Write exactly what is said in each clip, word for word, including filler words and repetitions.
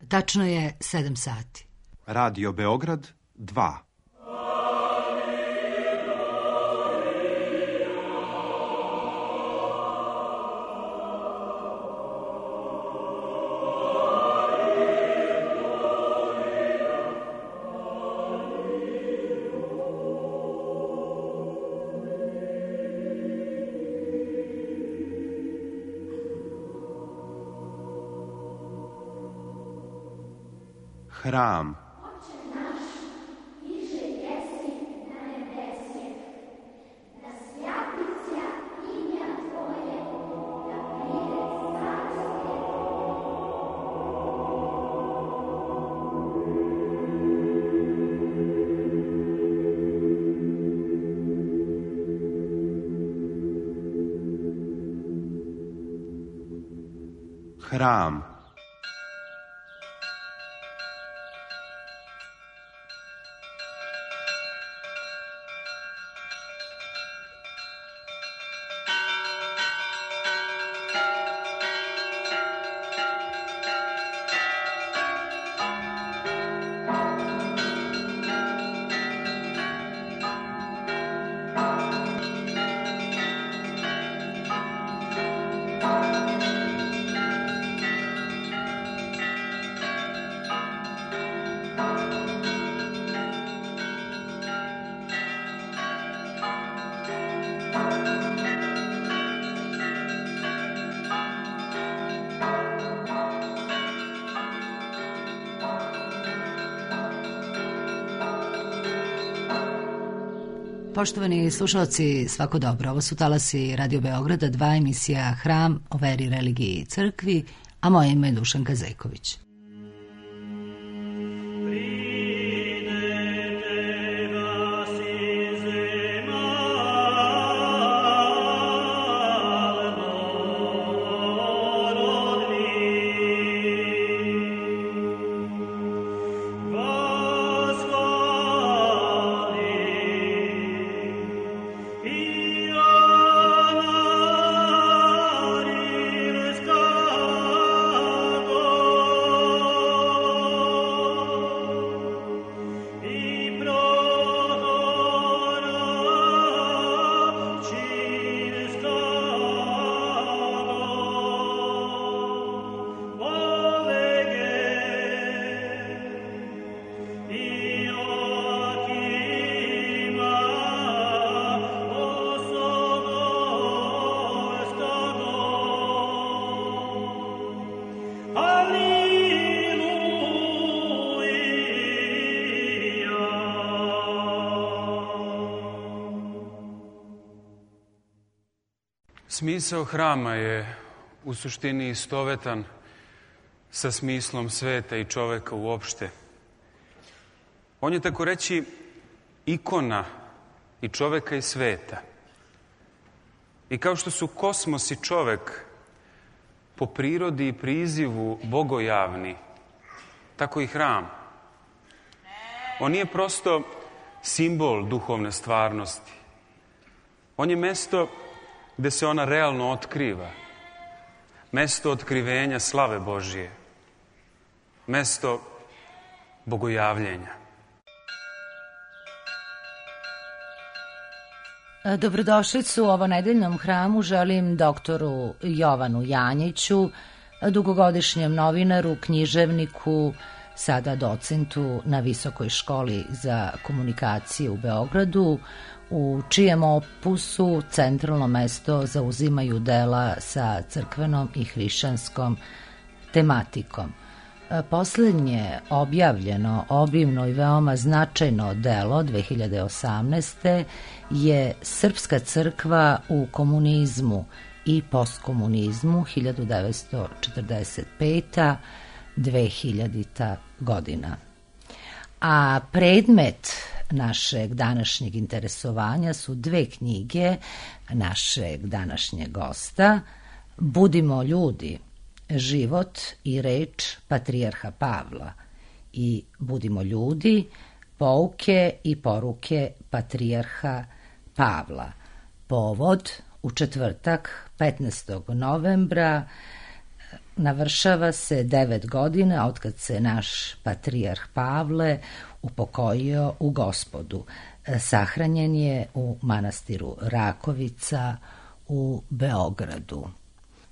Tačno je sedam sati. Radio Beograd dva. Hram. Hram. Poštovani slušalci, svako dobro. Ovo su talasi Radio Beograda, dva, emisija Hram o veri, religiji i crkvi, a moje ime je Dušanka Zejković. Smisao hrama je u suštini istovetan sa smislom sveta i čoveka uopšte. On je, tako reći, ikona i čoveka i sveta. I kao što su kosmos i čovek po prirodi i prizivu bogojavni, tako i hram. On nije prosto simbol duhovne stvarnosti. On je mesto gde se ona realno otkriva. Mesto otkrivenja slave Božije. Mesto bogojavljenja. Dobrodošlicu u ovonedeljnom hramu želim doktoru Jovanu Janjiću, dugogodišnjem novinaru, književniku, sada docentu na Visokoj školi za komunikaciju u Beogradu, u čijem opusu centralno mesto zauzimaju dela sa crkvenom i hrišćanskom tematikom. Poslednje objavljeno, obimno i veoma značajno delo dve hiljade osamnaeste. je Srpska crkva u komunizmu i postkomunizmu hiljadu devetsto četrdeset peta do dve hiljadita godina. A predmet našeg današnjeg interesovanja su dve knjige našeg današnjeg gosta, Budimo ljudi, život i reč patrijarha Pavla, i Budimo ljudi, pouke i poruke patrijarha Pavla. Povod: u četvrtak petnaestog novembra navršava se devet godina otkad se naš patrijarh Pavle upokojio u Gospodu. Sahranjen je u manastiru Rakovica u Beogradu.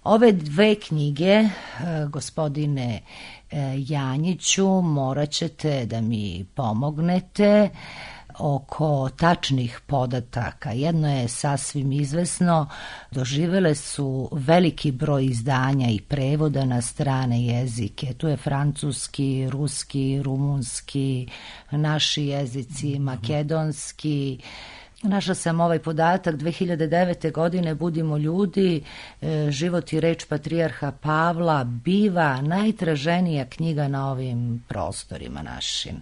Ove dve knjige, gospodine Janjiću, morat ćete da mi pomognete oko tačnih podataka. Jedno je sasvim izvesno, doživele su veliki broj izdanja i prevoda na strane jezike. Tu je francuski, ruski, rumunski, naši jezici, makedonski. Našla sam ovaj podatak, dve hiljade devete. godine Budimo ljudi, život i reč patrijarha Pavla biva najtraženija knjiga na ovim prostorima našim.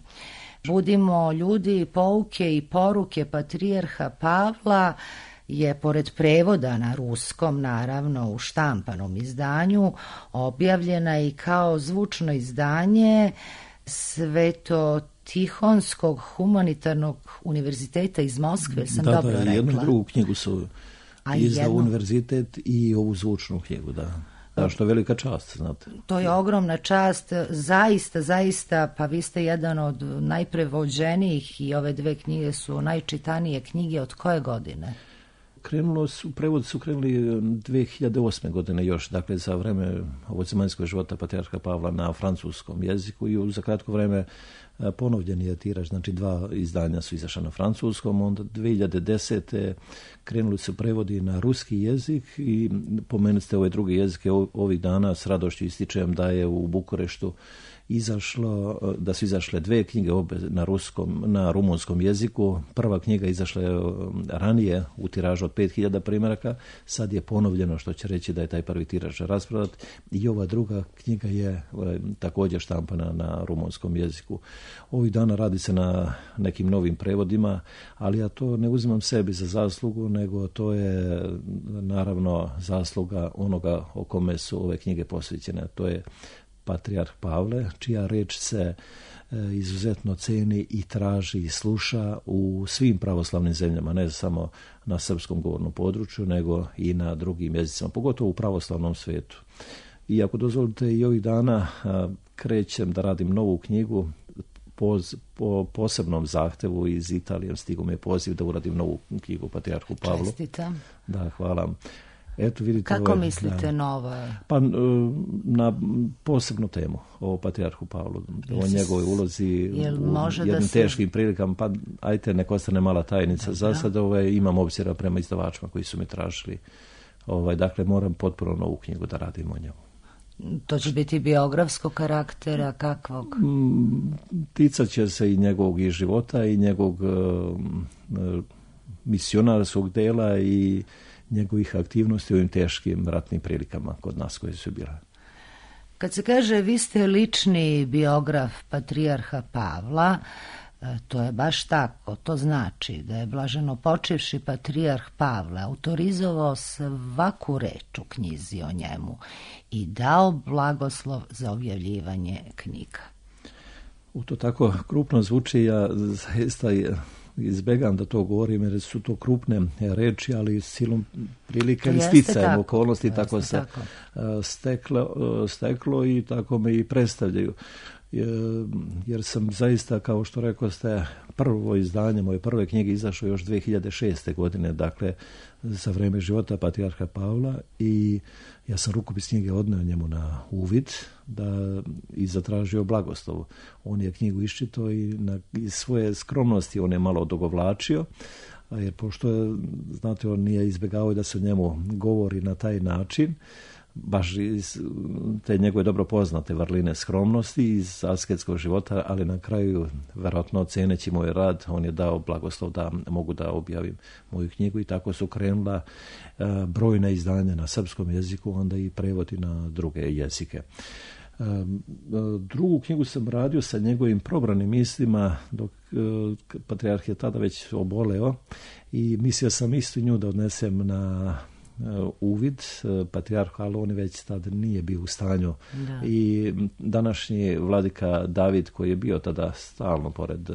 Budimo ljudi, pouke i poruke patrijarha Pavla je, pored prevoda na ruskom, naravno u štampanom izdanju, objavljena i kao zvučno izdanje Sveto-Tihonskog humanitarnog univerziteta iz Moskve, sam da, dobro da, rekla. Jednu i drugu knjigu su izdao jednu... univerzitet i ovu zvučnu knjigu, da. Da, što je velika čast, znate. To je ogromna čast, zaista, zaista, pa vi ste jedan od najprevođenijih i ove dve knjige su najčitanije knjige. Od koje godine? Krenulo su, prevodi su krenuli dve hiljade osme. godine još, dakle za vreme ovozemaljskog života patrijarha Pavla na francuskom jeziku i za kratko vreme ponovljen je tiraž, znači dva izdanja su izašla na francuskom, onda dve hiljade desete. krenuli su prevodi na ruski jezik i pomenuli ste ove druge jezike. Ovih dana s radošću ističem da je u Bukureštu izašlo, da su izašle dve knjige obe na ruskom, na rumunskom jeziku. Prva knjiga izašla je ranije u tiražu od pet hiljada primjeraka, sad je ponovljeno, što će reći da je taj prvi tiraž rasprodat, i ova druga knjiga je također štampana na rumunskom jeziku. Ovih dana radi se na nekim novim prevodima, ali ja to ne uzimam sebi za zaslugu, nego to je naravno zasluga onoga o kome su ove knjige posvećene. To je patrijarh Pavle, čija reč se izuzetno ceni i traži i sluša u svim pravoslavnim zemljama, ne samo na srpskom govornom području, nego i na drugim jezicima, pogotovo u pravoslavnom svijetu. I ako dozvolite, i ovih dana krećem da radim novu knjigu po, po posebnom zahtevu iz Italije. Stigo mi je poziv da uradim novu knjigu patrijarhu Pavlu. Čestitam. Da, hvala. Eto, vidite, kako ovo, mislite da, nova? Pa na posebnu temu o patrijarhu Pavlu, o njegovoj ulozi u jednim se... teškim prilikama, pa ajte, nek ostane mala tajnica. Dobra. Za sad ovaj, imam obzira prema izdavačima koji su mi tražili. Ovaj, dakle, moram potpuno novu knjigu da radim o njemu. To će biti biografskog karaktera, kakvog? Ticat će se i njegovog i života i njegovog uh, misionarskog dela i njegovih aktivnosti u ovim teškim ratnim prilikama kod nas koje su bile. Kad se kaže vi ste lični biograf patrijarha Pavla, to je baš tako. To znači da je blaženo počivši patrijarh Pavle autorizovao svaku reč u knjizi o njemu i dao blagoslov za objavljivanje knjiga. U to tako krupno zvuči, ja zaista izbegam da to govorim jer su to krupne reči, ali silom prilike i sticajem okolnosti tako se tako. Steklo, steklo i tako me i predstavljaju. Jer sam zaista, kao što rekao ste, prvo izdanje moje prve knjige izašlo još dve hiljade šeste. godine, dakle za vreme života patrijarha Pavla, i ja sam rukopis knjige odneo njemu na uvid da i zatražio blagoslov. On je knjigu iščitao i na iz svoje skromnosti on je malo odogovlačio, jer pošto je, znate, on nije izbjegavao da se o njemu govori na taj način, baš iz te njegove dobro poznate vrline skromnosti iz asketskog života, ali na kraju, verovatno ceneći moj rad, on je dao blagoslov da mogu da objavim moju knjigu, i tako su krenula uh, brojna izdanja na srpskom jeziku, onda i prevodi na druge jezike. Uh, drugu knjigu sam radio sa njegovim probranim mislima, dok uh, patrijarh je tada već oboleo, i mislio sam istu nju da odnesem na uvid patrijarhu, ali on već tada nije bio u stanju. Da. I današnji vladika David, koji je bio tada stalno pored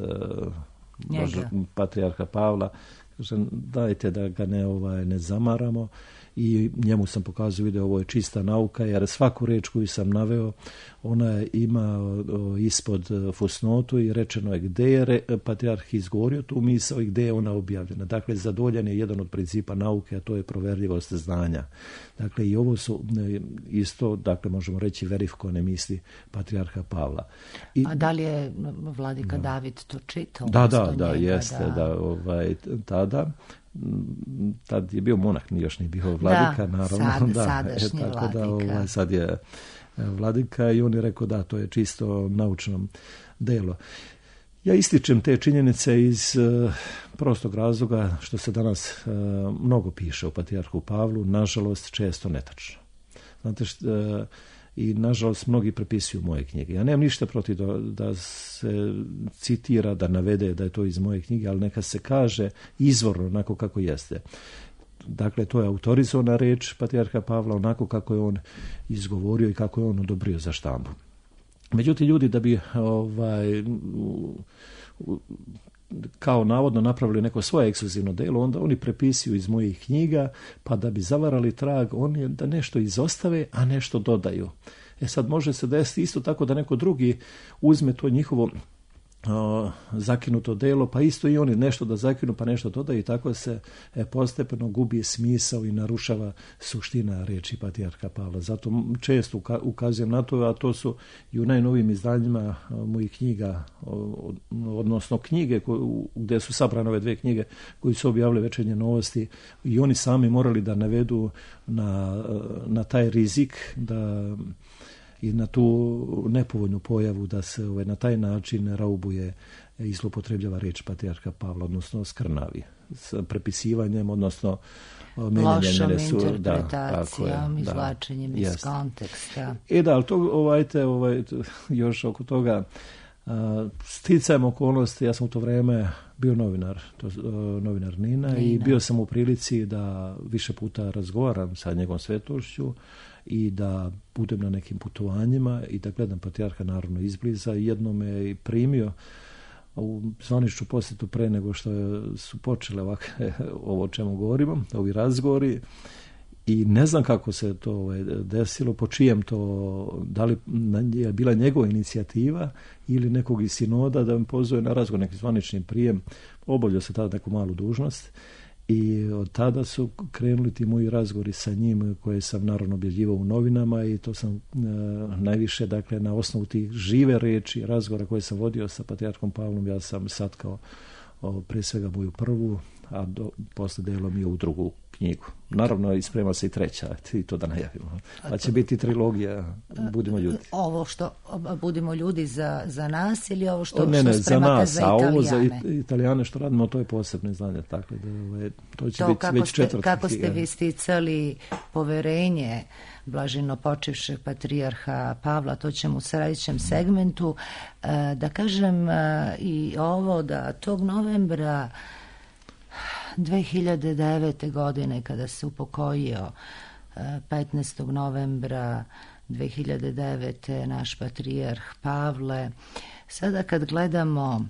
Bože, patrijarha Pavla, kaže, dajte da ga ne, ovaj, ne zamaramo, i njemu sam pokazao video, ovo je čista nauka, jer svaku reč koju sam naveo, ona ima ispod fusnotu i rečeno je gde je patrijarh izgovorio tu misao i gde je ona objavljena. Dakle, zadovoljan je jedan od principa nauke, a to je proverljivost znanja. Dakle, i ovo su isto, dakle, možemo reći, verifikovane misli patrijarha Pavla. I, a da li je vladika da. David to čitao? Da, da, da, njega, jeste, da, da ovaj, tada. Tad je bio monah, još nije bio vladika, da, naravno. Sad, da, sadašnji e, tako vladika. Da, ovaj, sad je vladika i on je rekao da, to je čisto naučno delo. Ja ističem te činjenice iz uh, prostog razloga što se danas uh, mnogo piše o patrijarhu Pavlu, nažalost često netačno. Znate što, uh, i nažalost mnogi prepisuju moje knjige. Ja nemam ništa protiv da, da se citira, da navede da je to iz moje knjige, ali neka se kaže izvorno onako kako jeste. Dakle, to je autorizovana reč patrijarha Pavla onako kako je on izgovorio i kako je on odobrio za štampu. Međutim, ljudi da bi ovaj, kao navodno napravili neko svoje ekskluzivno delo, onda oni prepisuju iz mojih knjiga, pa da bi zavarali trag, oni da nešto izostave, a nešto dodaju. E sad može se desiti isto tako da neko drugi uzme to njihovo O, zakinuto delo, pa isto i oni nešto da zakinu, pa nešto dodaju i tako se e, postepeno gubi smisao i narušava suština reči patrijarha Pavla. Zato često uka, ukazujem na to, a to su i u najnovijim izdanjima o, mojih knjiga, o, odnosno knjige ko, gde su sabrane ove dve knjige koji su objavile Večernje novosti i oni sami morali da navedu na, na taj rizik da i na tu nepovoljnu pojavu da se ovaj, na taj način raubuje i zloupotrebljava reč patrijarha Pavla, odnosno skrnavi s prepisivanjem, odnosno lošom interpretacijom, da, izvlačenjem iz jest. konteksta. E da, ali to, ovaj, te, ovaj, još oko toga a, sticajem okolnosti, ja sam u to vreme bio novinar, to, a, novinar Nina, Nina i bio sam u prilici da više puta razgovaram sa njegovom svetošću i da budem na nekim putovanjima i da gledam patrijarha naravno izbliza. Jedno me i primio u zvaničnu posjetu pre nego što su počele ovakve, ovo o čemu govorimo, ovi razgovori, i ne znam kako se to ovaj, desilo, po čijem to, da li je bila njegova inicijativa ili nekog iz sinoda da me pozove na razgovor, neki zvanični prijem. Obavljao se tada neku malu dužnost i od tada su krenuli ti moji razgovori sa njim koje sam naravno objavljivao u novinama i to sam e, najviše, dakle, na osnovu tih žive reči razgovora koje sam vodio sa patrijarhom Pavlom, ja sam satkao o, pre svega moju prvu, a do, posle delom i u drugu knjigu. Naravno, isprema se i treća, i to da najavimo. Pa će biti trilogija Budimo ljudi. Ovo što Budimo ljudi za, za nas ili ovo što, o, ne, ne, što spremate za, za nas, a ovo za Italijane što radimo, to je posebno izdanje. Tako da, to će to biti već ste, četvrta. Kako ste vi sticali poverenje blaženo počivšeg patrijarha Pavla, to ćemo u sljedećem segmentu. Da kažem i ovo, da tog novembra dve hiljade devete. godine, kada se upokojio petnaestog novembra dve hiljade devete. naš patrijarh Pavle, sada kad gledamo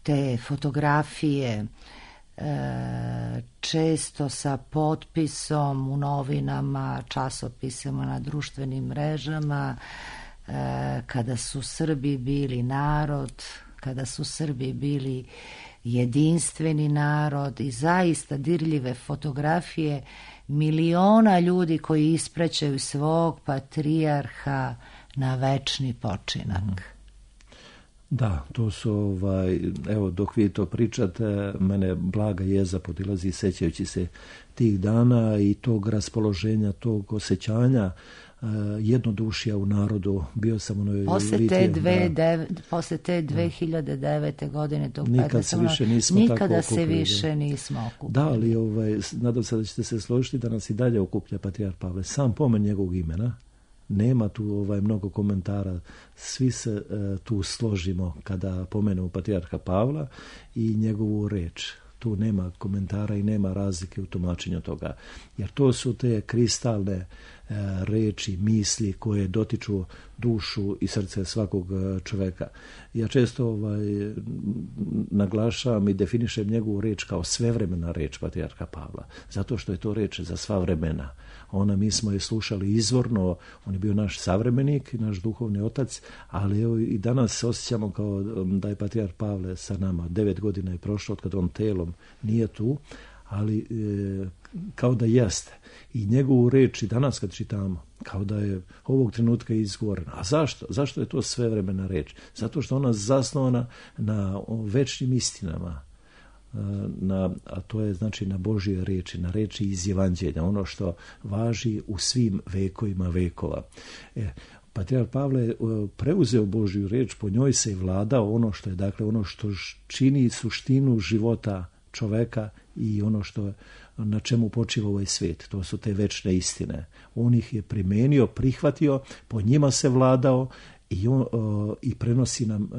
te fotografije često sa potpisom u novinama, časopisima, na društvenim mrežama, kada su Srbi bili narod, kada su Srbi bili jedinstveni narod i zaista dirljive fotografije miliona ljudi koji ispraćaju svog patrijarha na večni počinak. Da, to su, ovaj, evo, dok vi to pričate, mene blaga jeza podilazi sećajući se tih dana i tog raspoloženja, tog osjećanja uh, jednodušija u narodu. Bio sam u onoj posle te, dve, dev, posle te dve hiljade devete. godine, tog nikad se više nismo nikada tako se okupili. više nismo okupili. Da, ali ovaj, nadam se da ćete se složiti da nas i dalje okuplja patrijarh Pavle. Sam pomen njegovog imena. Nema tu ovaj, mnogo komentara, svi se e, tu složimo kada pomenemo patrijarha Pavla i njegovu reč. tu nema komentara i nema razlike u tumačenju toga. Jer to su te kristalne e, reči, misli koje dotiču dušu i srce svakog čoveka. Ja često ovaj, naglašavam i definišem njegovu reč kao svevremena reč patrijarha Pavla, zato što je to reč za sva vremena. Ona, mi smo je slušali izvorno, on je bio naš savremenik, naš duhovni otac, ali evo i danas se osjećamo kao da je patrijarh Pavle sa nama. Devet godina je prošlo od kada on telom nije tu, ali e, kao da jeste. I njegovu reč i danas kad čitamo, kao da je ovog trenutka izgovorena. A zašto? Zašto je to svevremena reč? Zato što ona zasnovana na večnim istinama, na, a to je znači na Božje reči, na reči iz Evanđelja, ono što važi u svim vekovima vekova. E, Patrijarh Pavle je preuzeo Božju reč, po njoj se je vladao ono što je, dakle, ono što čini suštinu života čoveka i ono što na čemu počiva ovaj svijet. To su te večne istine. On ih je primenio, prihvatio, po njima se vladao i, on, uh, i prenosi nam, uh,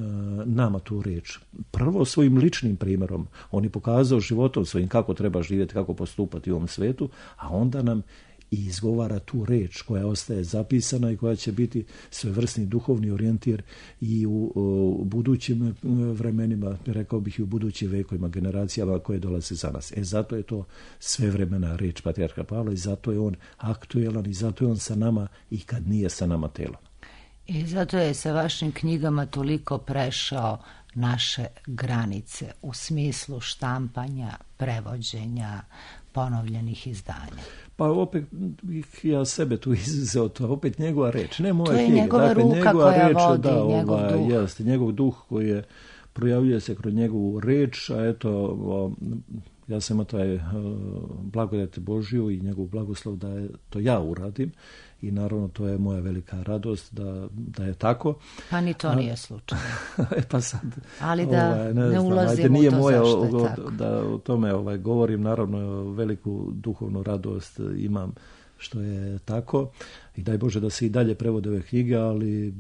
nama tu reč. Prvo svojim ličnim primjerom. On je pokazao životom svojim kako treba živjeti, kako postupati u ovom svijetu, a onda nam i izgovara tu reč koja ostaje zapisana i koja će biti svevrsni duhovni orijentir i u, u budućim vremenima, rekao bih i u budućim vekovima, generacijama koje dolaze za nas. E zato je to svevremena reč patrijarha Pavla i zato je on aktuelan i zato je on sa nama i kad nije sa nama telom. I zato je sa vašim knjigama toliko prešao naše granice u smislu štampanja, prevođenja, ponovljenih izdanja. Pa opet ja sebe tu izuzeo, to je opet njegova reč, ne moja knjiga. To je knjiga. njegova dakle, ruka njegova koja reč, vodi, da, njegov ova, duh. Jeste, njegov duh koji je, projavljuje se kroz njegovu reč, a eto, o, ja sam imao taj uh, blagodat Božju i njegov blagoslov da je, to ja uradim i naravno to je moja velika radost da, da je tako. Pa ni to a, nije slučaj. e pa sad, ali da ovaj, ne, ne ulazimo nije u to moje, zašto je o, tako. Da o tome ovaj, govorim, naravno veliku duhovnu radost imam što je tako i daj Bože da se i dalje prevode ove knjige, ali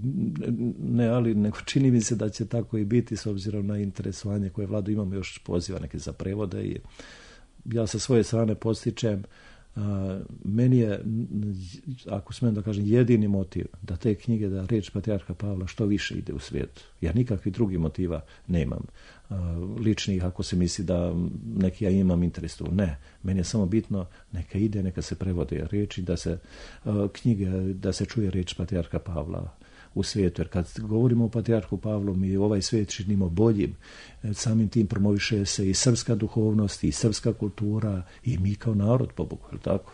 ne, ali nego čini mi se da će tako i biti s obzirom na interesovanje koje vladu imamo, još poziva neke za prevode i ja sa svoje strane postičem. Uh, meni je, ako smijem da kažem, jedini motiv da te knjige, da reč patrijarha Pavla što više ide u svijet. Ja nikakvih drugih motiva nemam. Uh, ličnih, ako se misli da neki ja imam interes tu. Ne, meni je samo bitno neka ide, neka se prevode reči, da se uh, knjige, da se čuje reč patrijarha Pavla u svijetu. Jer kad govorimo o patrijarhu Pavlu, mi ovaj svijet činimo boljim. Samim tim promoviše se i srpska duhovnost, i srpska kultura, i mi kao narod, po Bogu, je li tako?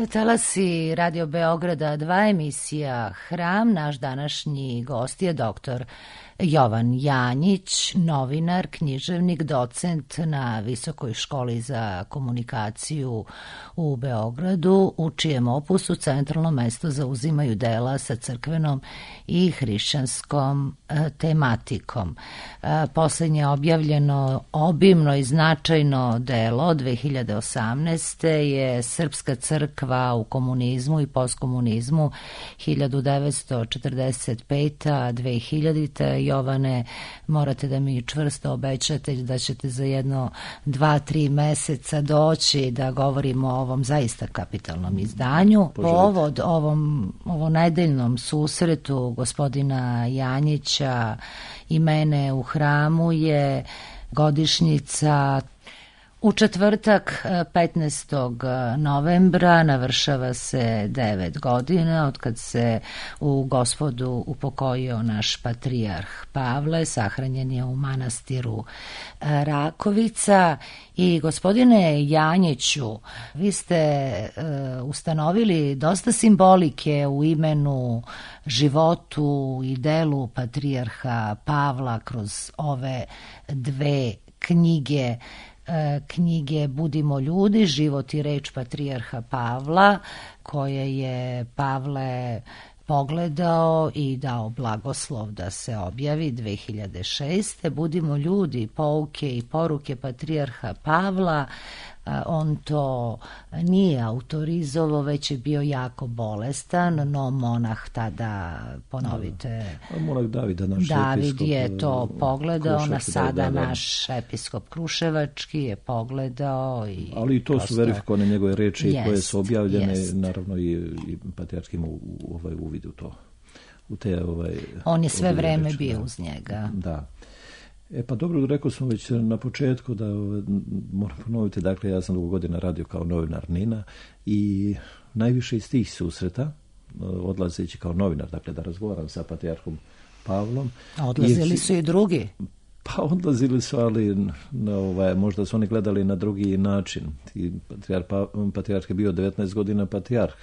Talasi Radio Beograda dva, emisija Hram. Naš današnji gost je doktor Jovan Janjić, novinar, književnik, docent na Visokoj školi za komunikaciju u Beogradu, u čijem opusu centralno mesto zauzimaju dela sa crkvenom i hrišćanskom e, tematikom. E, poslednje objavljeno obimno i značajno delo dve hiljade osamnaeste. je Srpska crkva u komunizmu i postkomunizmu hiljadu devetsto četrdeset pete do dve hiljadite. Jovane, morate da mi čvrsto obećate da ćete za jedno dva, tri meseca doći da govorimo o ovom zaista kapitalnom izdanju. Povod ovom, ovom nedeljnom susretu gospodina Janjića i mene u Hramu je godišnjica. U četvrtak petnaestog novembra navršava se devet godina od kad se u Gospodu upokojio naš patrijarh Pavle, sahranjen je u manastiru Rakovica. I gospodine Janjiću, vi ste uh, ustanovili dosta simbolike u imenu, životu i delu patrijarha Pavla kroz ove dve knjige. knjige Budimo ljudi, život i reč patrijarha Pavla, koje je Pavle pogledao i dao blagoslov da se objavi dve hiljade šeste. Budimo ljudi, pouke i poruke patrijarha Pavla. On to nije autorizovao, već je bio jako bolestan, no monah tada, ponovite, da, monah David, naš David episkop, je to pogledao, na sada da, da, da. naš episkop Kruševački je pogledao. I ali i to prosto su verifikovane njegove reči jest, koje su objavljene, jest. Naravno i, i patrijarh ima u, ovaj uvid u to. U te, ovaj, On je sve vreme reči, bio da. uz njega. Da. E pa dobro, rekao smo već na početku da moram ponoviti, dakle ja sam dugo godina radio kao novinar Nina i najviše iz tih susreta, odlazeći kao novinar, dakle da razgovaram sa patrijarhom Pavlom. A odlazili su i drugi? Pa odlazili su, ali na ovaj, možda su oni gledali na drugi način. I patrijarh, patrijarh je bio devetnaest godina patrijarh.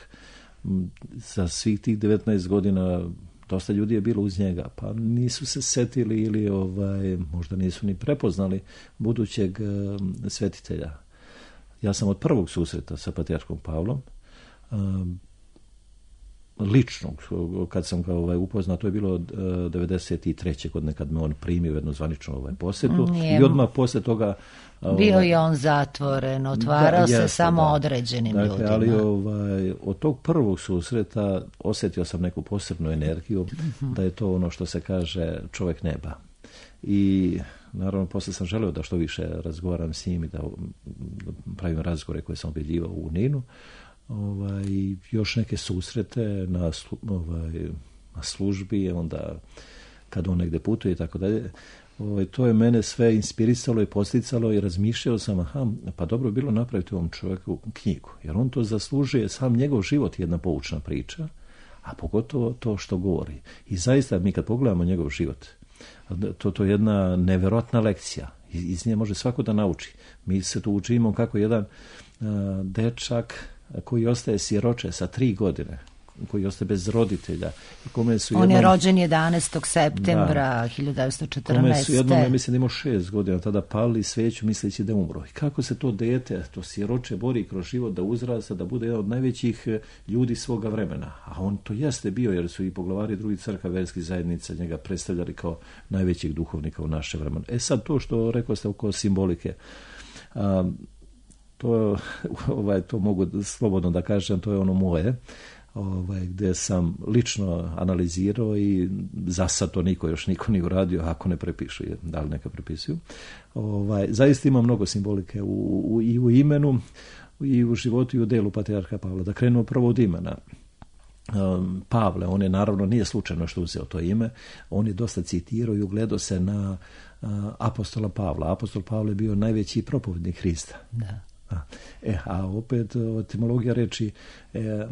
Za svih tih devetnaest godina dosta ljudi je bilo uz njega, pa nisu se setili ili ovaj, možda nisu ni prepoznali budućeg uh, svetitelja. Ja sam od prvog susreta sa patrijarhom Pavlom, uh, ličnog, kad sam ga ovaj, upoznao, to je bilo uh, devedeset treće godine kad me on primio u jednu zvaničnu ovaj, posjetu. Nije. I odmah posle toga uh, bio je on zatvoren, otvarao da, se jeste, samo da. određenim dakle, ljudima. Ali ovaj, od tog prvog susreta osjetio sam neku posebnu energiju, uh-huh. da je to ono što se kaže čovjek neba. I naravno posle sam želeo da što više razgovaram s njim i da pravim razgovore koje sam objavljivao u Ninu. Ovaj, još neke susrete na, slu, ovaj, na službi, onda kad on negde putuje i tako dalje. Ovaj, to je mene sve inspirisalo i posticalo i razmišljao sam, aha, pa dobro bilo napraviti ovom čovjeku knjigu, jer on to zaslužuje, sam njegov život je jedna poučna priča, a pogotovo to što govori. I zaista mi kad pogledamo njegov život, to, to je jedna neverovatna lekcija. Iz, iz nje može svako da nauči. Mi se tu učimo kako jedan uh, dečak koji ostaje siroče sa tri godine, koji ostaje bez roditelja. Kome su On jednom, je rođen jedanaestog septembra da, hiljadu devetsto četrnaeste. Kome su jednom, ja mislim da imao šest godina, tada palili sveću misleći da je umro. I kako se to dete, to siroče bori kroz život da uzrasta, da bude jedan od najvećih ljudi svoga vremena. A on to jeste bio, jer su i poglavari drugih crkava, verskih zajednica njega predstavljali kao najvećeg duhovnika u naše vremena. E sad to što rekao ste oko simbolike, um, To, ovaj, to mogu slobodno da kažem, to je ono moje, ovaj, gdje sam lično analizirao i za sad to niko još niko nije uradio, ako ne prepišu, da li neka prepisuju. Ovaj, zaista ima mnogo simbolike u, u, i u imenu, i u životu i u delu patrijarha Pavla. Da krenuo prvo od imena. Um, Pavle, on je naravno nije slučajno što uzeo to ime, on je dosta citirao i ugledao se na uh, apostola Pavla. Apostol Pavle je bio najveći propovednik Hrista. Da. A, e, a opet etimologija reči e, e,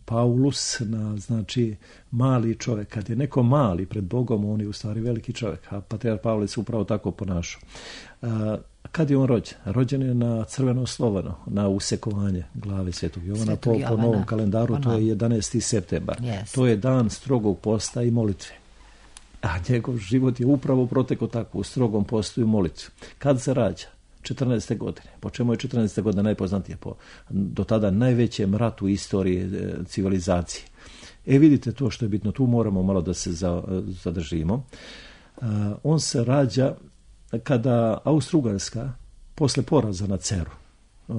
Paulus na, znači mali čovjek. Kad je neko mali pred Bogom, on je u stvari veliki čovjek, a patrijarh Pavle se upravo tako ponašao. A, Kad je on rođen? Rođen je na crveno slovano, na usekovanje glave Svetog Jovana. Svetog po, Jovana. po novom kalendaru, to je jedanaesti septembar. Yes. To je dan strogog posta i molitve. A njegov život je upravo protekao tako, u strogom postu i molitvi. Kad se rađa? četrnaeste godine. Po čemu je četrnaesta godina najpoznatija? Po do tada najvećem ratu istorije e, civilizacije. E vidite to što je bitno, tu moramo malo da se za, zadržimo. E, on se rađa kada Austro-Ugarska posle poraza na Ceru e,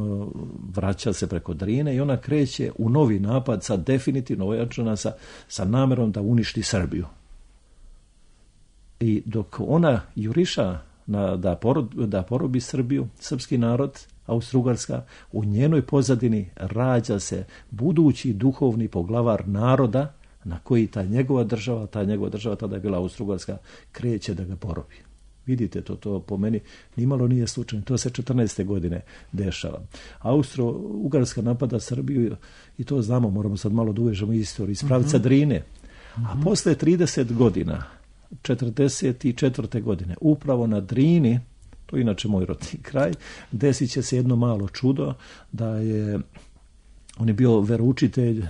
vraća se preko Drine i ona kreće u novi napad sa definitivno ojačana sa, sa namerom da uništi Srbiju. I dok ona juriša na, da, porod, da porobi Srbiju, srpski narod, Austro-Ugarska, u njenoj pozadini rađa se budući duhovni poglavar naroda na koji ta njegova država, ta njegova država, tada je bila Austro-Ugarska, kreće da ga porobi. Vidite, to, to po meni nimalo nije slučajno. To se četrnaeste godine dešava. Austro-Ugarska napada Srbiju i to znamo, moramo sad malo da uvežemo istoriju iz pravca uh-huh. Drine. A uh-huh. posle trideset godina, četrdeset četvrte godine, upravo na Drini, to je inače moj rodni kraj, desit će se jedno malo čudo da je, on je bio veroučitelj e,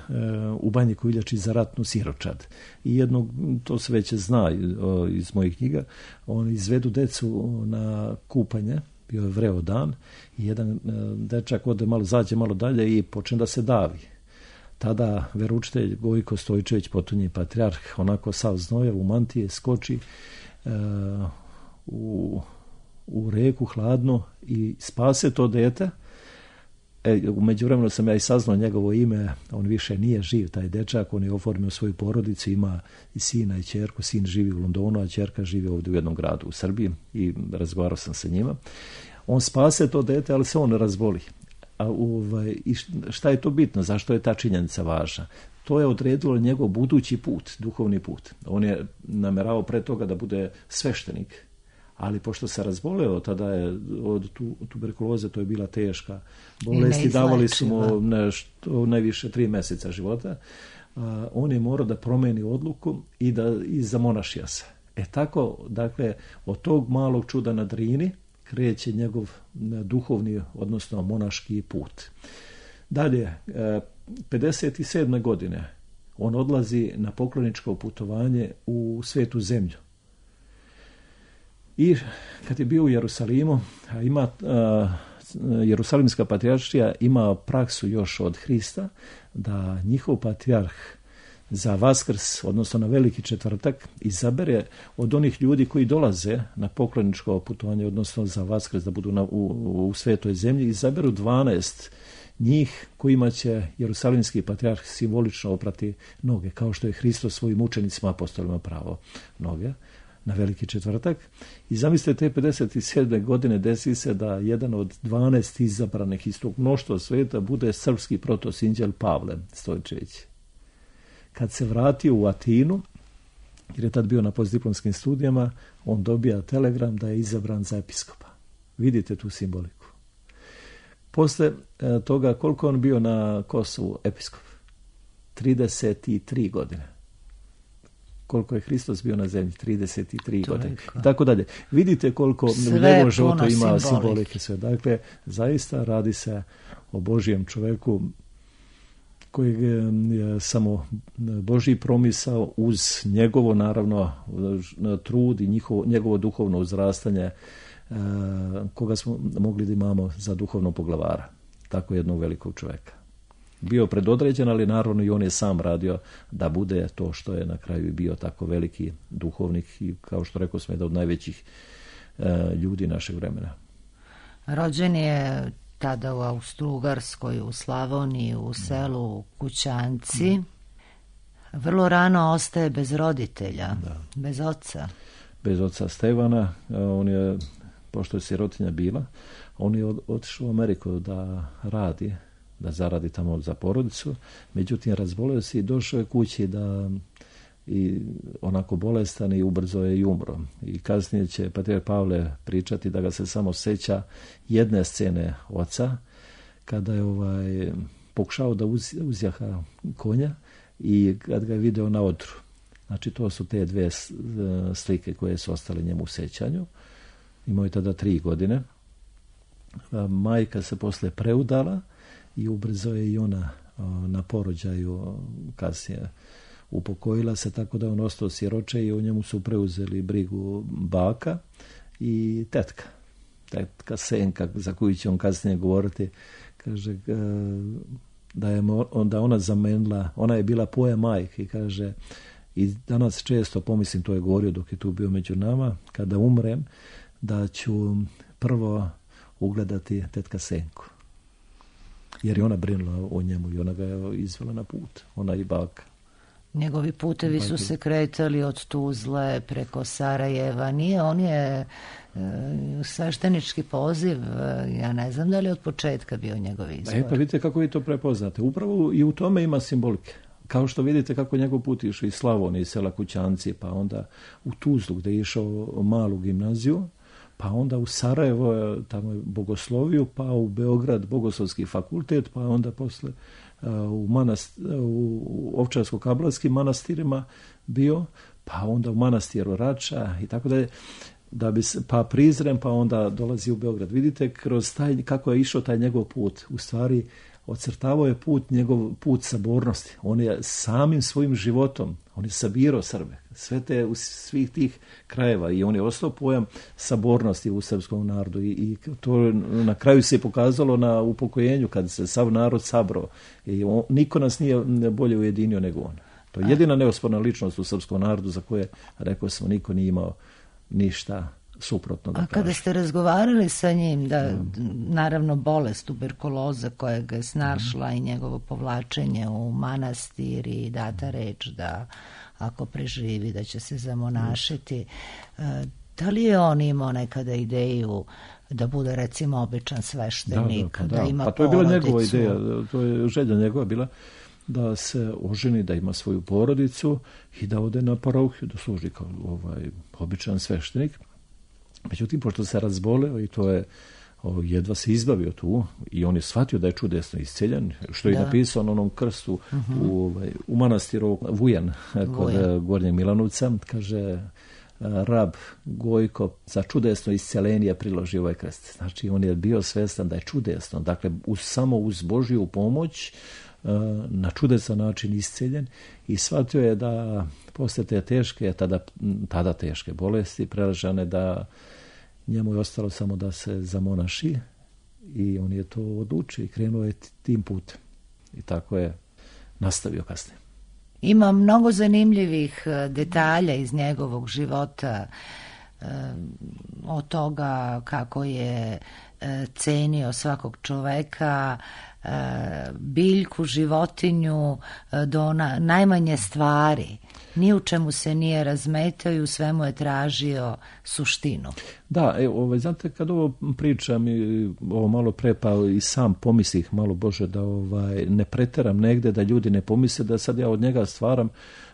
u Banji Koviljači za ratnu siročad. I jednog, to se već zna o, iz mojih knjiga, oni izvedu decu na kupanje, bio je vreo dan, i jedan e, dečak ode malo, zađe malo dalje i počne da se davi. Tada veroučitelj Gojko Stojčević, potonji patrijarh, onako sav znoja u mantije, skoči e, u, u reku hladno i spase to dete. E, u međuvremenu sam ja i saznao njegovo ime, on više nije živ, taj dečak, on je oformio svoju porodicu, ima i sina i ćerku, sin živi u Londonu, a ćerka živi ovdje u jednom gradu u Srbiji i razgovarao sam sa njima. On spase to dete, ali se on razboli. A ovaj, i šta je to bitno? Zašto je ta činjenica važna? To je odredilo njegov budući put, duhovni put. On je namerao pre toga da bude sveštenik, ali pošto se razboleo, tada je od tu, tuberkuloze, to je bila teška bolest i davali su mu nešto, najviše tri meseca života, a, on je morao da promeni odluku i da i zamonašija se. E tako, dakle, od tog malog čuda na Drini kreće njegov duhovni, odnosno monaški put. Dalje, pedeset sedme godine on odlazi na pokloničko putovanje u Svetu zemlju. I kad je bio u Jerusalimu, ima, a, Jerusalimska patrijaršija ima praksu još od Hrista da njihov patrijarh za Vaskrs, odnosno na Veliki četvrtak, izabere od onih ljudi koji dolaze na pokloničko putovanje, odnosno za Vaskrs da budu na, u, u Svetoj zemlji, izaberu dvanaest njih kojima će Jerusalimski patrijarh simbolično oprati noge, kao što je Hristos svojim učenicima apostolima pravo noge na Veliki četvrtak. I zamislite, te pedeset sedme godine desi se da jedan od dvanaest izabranih iz tog mnoštva sveta bude srpski protosinđel Pavle Stojčević. Kad se vratio u Atinu, jer je tad bio na postdiplomskim studijama, on dobija telegram da je izabran za episkopa. Vidite tu simboliku. Posle e, toga, koliko on bio na Kosovu episkop? trideset tri godine. Koliko je Hristos bio na zemlji? trideset tri godine. I tako dalje. Vidite koliko sve u njegovom životu ima simbolike. Sve. Dakle, zaista radi se o Božijem čoveku kojeg je samo Božji promisao uz njegovo, naravno, trud i njihovo, njegovo duhovno uzrastanje, koga smo mogli da imamo za duhovnog poglavara. Tako jednog velikog čoveka. Bio predodređen, ali naravno i on je sam radio da bude to što je na kraju bio tako veliki duhovnik i, kao što rekao smo, jedan od najvećih ljudi našeg vremena. Rođen je tada u Austro-Ugarskoj, u Slavoniji, u selu u Kućanci. Vrlo rano ostaje bez roditelja, da. bez oca. Bez oca Stevana. On je, pošto je sirotinja bila, on je otišao u Ameriku da radi, da zaradi tamo za porodicu. Međutim, razboleo se i došao je kući da i onako bolestan i ubrzo je i umro. I kasnije će patrijarh Pavle pričati da ga se samo seća jedne scene oca, kada je ovaj pokušao da uz, uzjaha konja i kad ga je video na odru. Znači, to su te dve slike koje su ostale njemu u sećanju. Imao je tada tri godine. majka se posle preudala i ubrzo je i ona na porođaju kasnije upokojila se, tako da on ostao siroče i o njemu su preuzeli brigu baka i tetka. Tetka Senka, za koju će on kasnije govoriti, kaže da je onda ona zamenila, ona je bila poja majke i kaže, i danas često pomislim, to je govorio dok je tu bio među nama, kada umrem, da ću prvo ugledati tetka Senku. Jer je ona brinula o njemu i ona ga je izvela na put, ona i baka. Njegovi putevi su se kretali od Tuzle preko Sarajeva. Nije, on je e, sveštenički poziv, ja ne znam da li od početka bio njegov izbor. E pa vidite kako vi to prepoznate. Upravo i u tome ima simbolike. Kao što vidite kako njegov put išao iz Slavonije, iz sela Kućanci, pa onda u Tuzlu gdje je išao malu gimnaziju, pa onda u Sarajevo, tamo je bogosloviju, pa u Beograd bogoslovski fakultet, pa onda posle u, manast, u Ovčarsko-kablarskim manastirima bio, pa onda u manastiru Rača i tako da je, da bi se, pa Prizren, pa onda dolazi u Beograd. Vidite kroz taj, kako je išao taj njegov put. U stvari ocrtavao je put, njegov put sabornosti. On je samim svojim životom, on je sabirao Srbe, sve te u svih tih krajeva i on je ostao pojam sabornosti u srpskom narodu i, i to na kraju se je pokazalo na upokojenju kad se sav narod sabrao i on, niko nas nije bolje ujedinio nego on. To je jedina neosporna ličnost u srpskom narodu za koje, rekao smo, niko nije imao ništa suprotno. A kada ste razgovarali sa njim, da naravno bolest tuberkuloza koja ga je snašla mm. i njegovo povlačenje u manastir i data reč da ako preživi da će se zamonašiti, mm. da li je on imao nekada ideju da bude recimo običan sveštenik, da, da, pa, da da. ima pa to je porodicu? bila njegova ideja, to je želja njegova bila da se oženi, da ima svoju porodicu i da ode na parohiju, da služi kao ovaj običan sveštenik. Međutim, pošto se razboleo i to je o, jedva se izbavio tu i on je shvatio da je čudesno isceljen, što je da. napisao na onom krstu uh-huh. u, ovaj, u manastiru Vujan kod Vujan. Gornjeg Milanovca, kaže rab Gojko za čudesno isceljenje priloži ovaj krst. Znači, on je bio svestan da je čudesno, dakle, uz, samo uz Božju pomoć na čudesan način isceljen i shvatio je da posle te teške, tada, tada teške bolesti preležane, da njemu je ostalo samo da se zamonaši i on je to odlučio i krenuo je tim putem. I tako je nastavio kasnije. Ima mnogo zanimljivih detalja iz njegovog života, od toga kako je cenio svakog čoveka, biljku, životinju, do na, najmanje stvari. Ni u čemu se nije razmetao i u svemu je tražio suštinu. Da, evo, ovaj, znate, kad ovo pričam i ovo malo pre, pa i sam pomislih malo, Bože, da ovaj, ne preteram negde, da ljudi ne pomisle da sad ja od njega stvaram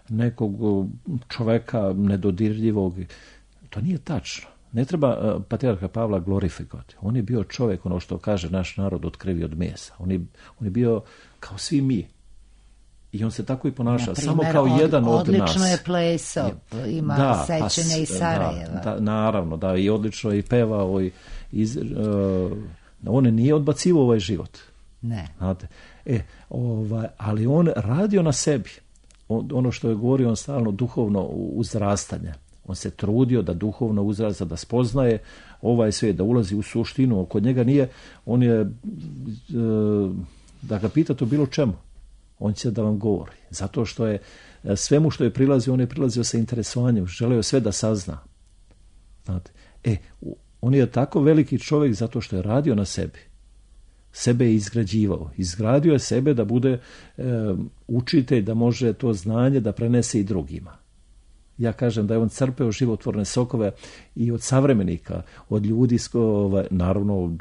nekog čoveka nedodirljivog. To nije tačno. Ne treba uh, patrijarha Pavla glorifikovati. On je bio čovjek, ono što kaže naš narod, od krvi od mesa. On je, on je bio kao svi mi. I on se tako i ponaša, samo kao od, jedan od nas. Odlično je plesao, ima da, sećanja pa, iz Sarajeva. Da, da, naravno, da, i odlično je i pevao. I, iz, uh, on nije odbacivao ovaj život. Ne. Znate? E, ovaj, ali on radio na sebi. On, ono što je govorio, on stalno duhovno uzrastanje. On se trudio da duhovno uzrasta, da spoznaje ovaj svijet, da ulazi u suštinu. Kod njega nije, on je, e, da ga pitate o bilo čemu, on će da vam govori. Zato što je svemu što je prilazio, on je prilazio sa interesovanjem, želeo sve da sazna. Znate? E, on je tako veliki čovjek zato što je radio na sebi. Sebe je izgrađivao. Izgradio je sebe da bude e, učitelj, da može to znanje da prenese i drugima. Ja kažem da je on crpeo životvorne sokove i od savremenika, od ljudi, naravno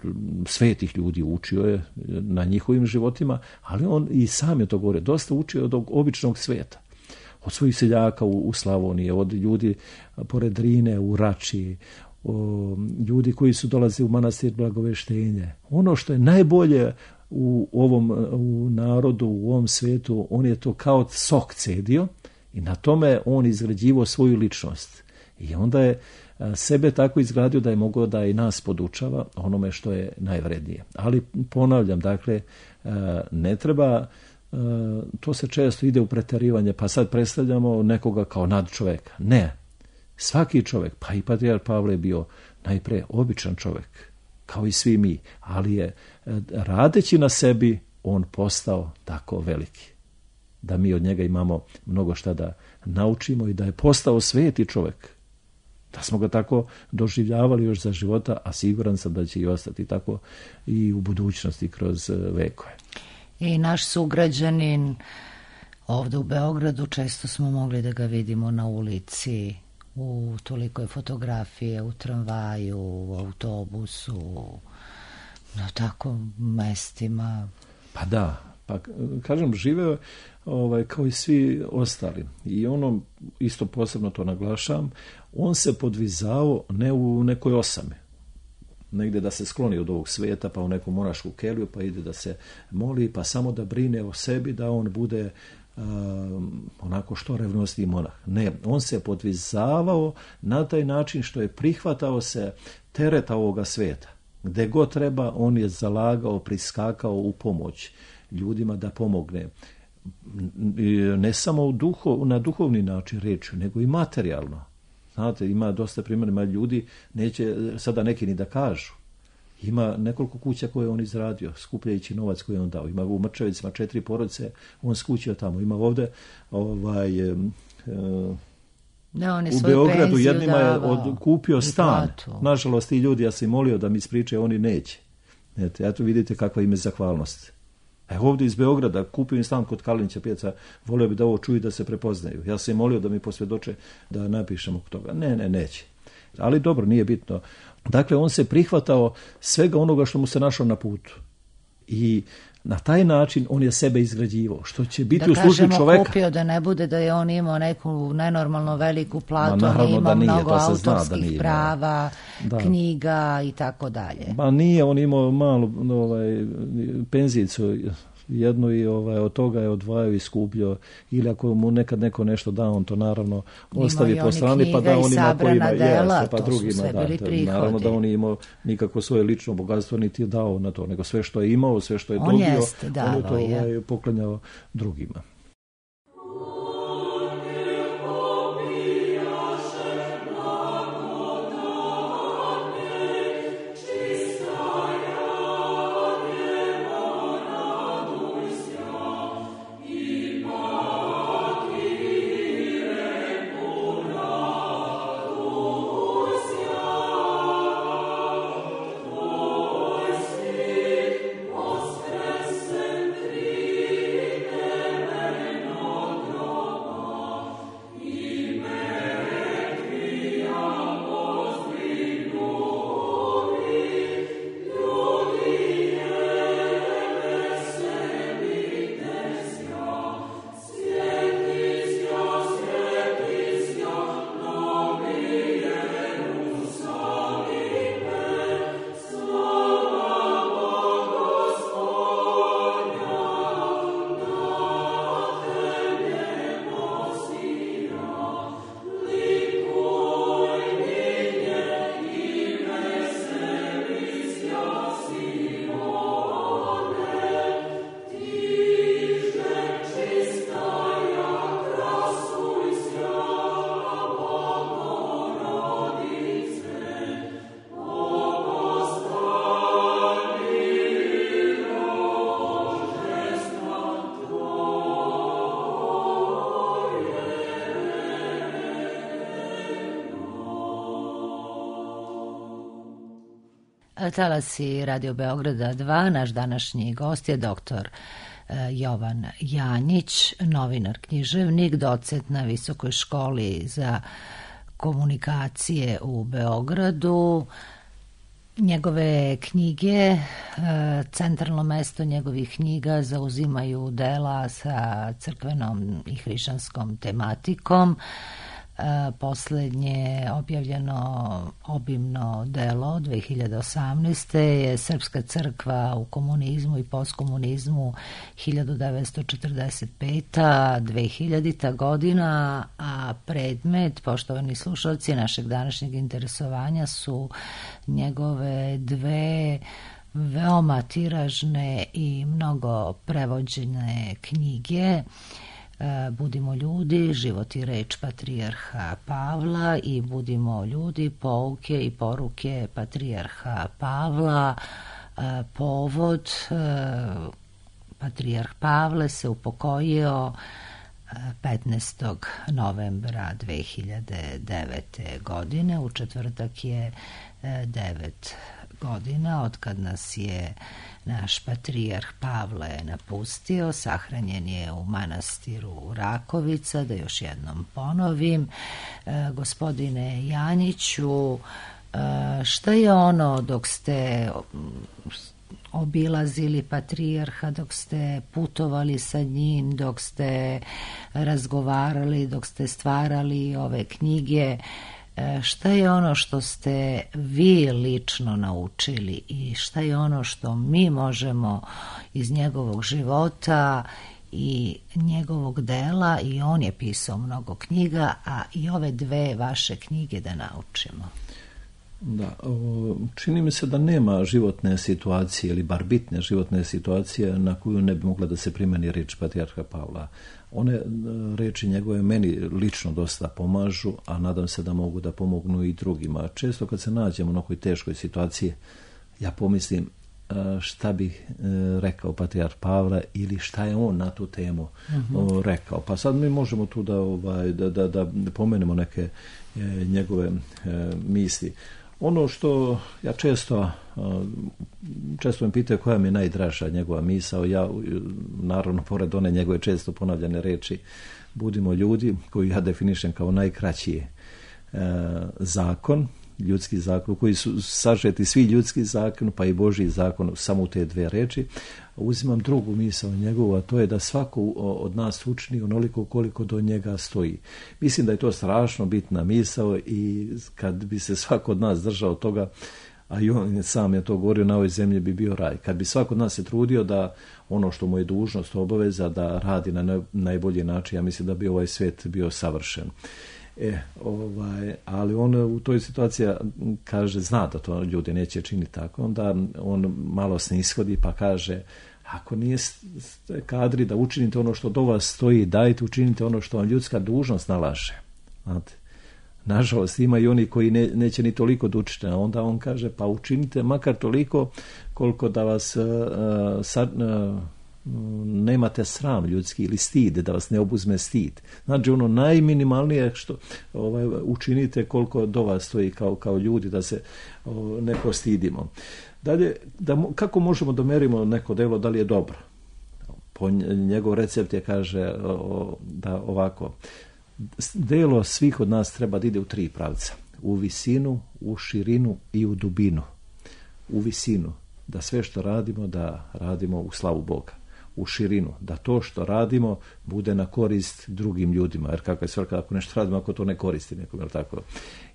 svetih ljudi, učio je na njihovim životima, ali on i sam je to govorio, dosta učio od običnog sveta. Od svojih seljaka u, u Slavoniji, od ljudi pored Drine u Rači, o, ljudi koji su dolazili u manastir Blagoveštenje. Ono što je najbolje u ovom u narodu, u ovom svetu, on je to kao sok cedio. I na tome on izgrađivao svoju ličnost. I onda je sebe tako izgradio da je mogao da i nas podučava onome što je najvrednije. Ali ponavljam, dakle, ne treba, to se često ide u preterivanje, pa sad predstavljamo nekoga kao nadčoveka. Ne. Svaki čovjek, pa i patrijarh Pavle je bio najpre običan čovjek, kao i svi mi, ali je radeći na sebi on postao tako veliki. Da mi od njega imamo mnogo šta da naučimo i da je postao sveti čovjek. Da smo ga tako doživljavali još za života, a siguran sam da će i ostati tako i u budućnosti kroz vekove. I naš sugrađanin ovdje u Beogradu, često smo mogli da ga vidimo na ulici, u toliko je fotografije, u tramvaju, u autobusu, na tako mestima. Pa da, pa kažem, živeo ovaj, kao i svi ostali. I ono, isto posebno to naglašavam, on se podvizao ne u nekoj osami, negdje da se skloni od ovog svijeta, pa u neku monašku keliju, pa ide da se moli, pa samo da brine o sebi, da on bude um, onako što revnosniji monah. Ne, on se podvizavao na taj način što je prihvatao se tereta ovoga svijeta. Gde god treba, on je zalagao, priskakao u pomoć ljudima da pomogne. Ne samo u duho, na duhovni način reći, nego i materijalno. Znate, ima dosta primjera ljudi, neće sada neki ni da kažu. Ima nekoliko kuća koje on izradio, skupljajući novac koji on dao. Ima u Mrčevicima četiri porodice, on skućio tamo. Ima ovdje ovaj, e, da, on je u Beogradu jednima je od, kupio stan. Nažalost, ti ljudi, ja sam molio da mi ispričaju, oni neće. Eto, eto vidite kakva im je zahvalnost. Evo ovdje iz Beograda, kupio im stan kod Kalinića pijaca, volio bi da ovo čuju da se prepoznaju. Ja sam im molio da mi posvjedoče da napišemo toga. Ne, ne, neće. Ali dobro, nije bitno. Dakle, on se prihvatao svega onoga što mu se našao na putu. I na taj način on je sebe izgrađivao, što će biti da u službi čoveka. Da kažemo, kupio da ne bude da je on imao neku nenormalno veliku platu, Ma, on imao nije, mnogo autorskih nije, prava, da. knjiga i tako dalje. Ma nije, on imao malu ovaj, penzijicu jednu i ovaj, od toga je odvajao i skupljio, ili ako mu nekad neko nešto da, on to naravno ostavi po strani, pa da on ima koji ima, jeste, pa drugima da. Naravno da on nije imao nikako svoje lično bogatstvo, niti je dao na to, nego sve što je imao, sve što je on dobio, jest, on je to ovaj, poklanjao drugima. Talasi Radio Beograda dva, naš današnji gost je doktor Jovan Janjić, novinar, književnik, docent na Visokoj školi za komunikacije u Beogradu. Njegove knjige, centralno mesto njegovih knjiga zauzimaju dela sa crkvenom i hrišćanskom tematikom. Poslednje objavljeno obimno delo dve hiljade osamnaeste. je Srpska crkva u komunizmu i postkomunizmu hiljadu devetsto četrdeset peta do dve hiljadita godina, a predmet, poštovani slušalci, našeg današnjeg interesovanja su njegove dve veoma tiražne i mnogo prevođene knjige Budimo ljudi, život i reč patrijarha Pavla i Budimo ljudi, pouke i poruke patrijarha Pavla. Povod, patrijarh Pavle se upokojio petnaestog novembra dve hiljade devete. godine. U četvrtak je devet godina od kad nas je naš patrijarh Pavle napustio. Sahranjen je u manastiru Rakovica. Da još jednom ponovim, e, gospodine Janjiću, e, šta je ono dok ste obilazili patrijarha, dok ste putovali sa njim, dok ste razgovarali, dok ste stvarali ove knjige, šta je ono što ste vi lično naučili i šta je ono što mi možemo iz njegovog života i njegovog dela, i on je pisao mnogo knjiga, a i ove dve vaše knjige da naučimo? Da, čini mi se da nema životne situacije ili bar bitne životne situacije na koju ne bi mogla da se primeni reč patrijarha Pavla. One reči njegove meni lično dosta pomažu, a nadam se da mogu da pomognu i drugima. Često kad se nađemo u nekoj teškoj situaciji, ja pomislim šta bih rekao patrijarh Pavle ili šta je on na tu temu uh-huh. rekao. Pa sad mi možemo tu da, ovaj, da, da, da pomenemo neke njegove misli. Ono što ja često, često me pitaju koja mi je najdraža njegova misao, ja naravno pored one njegove često ponavljane reči Budimo ljudi, koju ja definišem kao najkraći zakon, ljudski zakon, koji su sažeti svi ljudski zakon, pa i Božji zakon, samo u te dve reči. Uzimam drugu misao njegovu, a to je da svako od nas učini onoliko koliko do njega stoji. Mislim da je to strašno bitna misao i kad bi se svako od nas držao toga, a i on sam je to govorio, na ovoj zemlji bi bio raj. Kad bi svako od nas se trudio da ono što mu je dužnost, obaveza, da radi na najbolji način, ja mislim da bi ovaj svijet bio savršen. E, ovaj, ali on u toj situaciji kaže, zna da to ljudi neće činiti tako, onda on malo se ishodi pa kaže, ako nije kadri da učinite ono što do vas stoji, dajte učinite ono što vam ljudska dužnost nalaže. Znate, nažalost ima i oni koji ne, neće ni toliko da učite, a onda on kaže, pa učinite makar toliko koliko da vas uh, sad, uh, nemate sram ljudski ili stid, da vas ne obuzme stid. Znači ono najminimalnije što ovaj, učinite koliko do vas stoji kao, kao ljudi, da se o, ne postidimo. Dalje, da, kako možemo da merimo neko delo da li je dobro? Po njegov recept je kaže o, da ovako, delo svih od nas treba da ide u tri pravca. U visinu, u širinu i u dubinu. U visinu, da sve što radimo, da radimo u slavu Boga. U širinu, da to što radimo bude na korist drugim ljudima, jer kakva je svrha ako nešto radimo ako to ne koristi nekom, jel tako?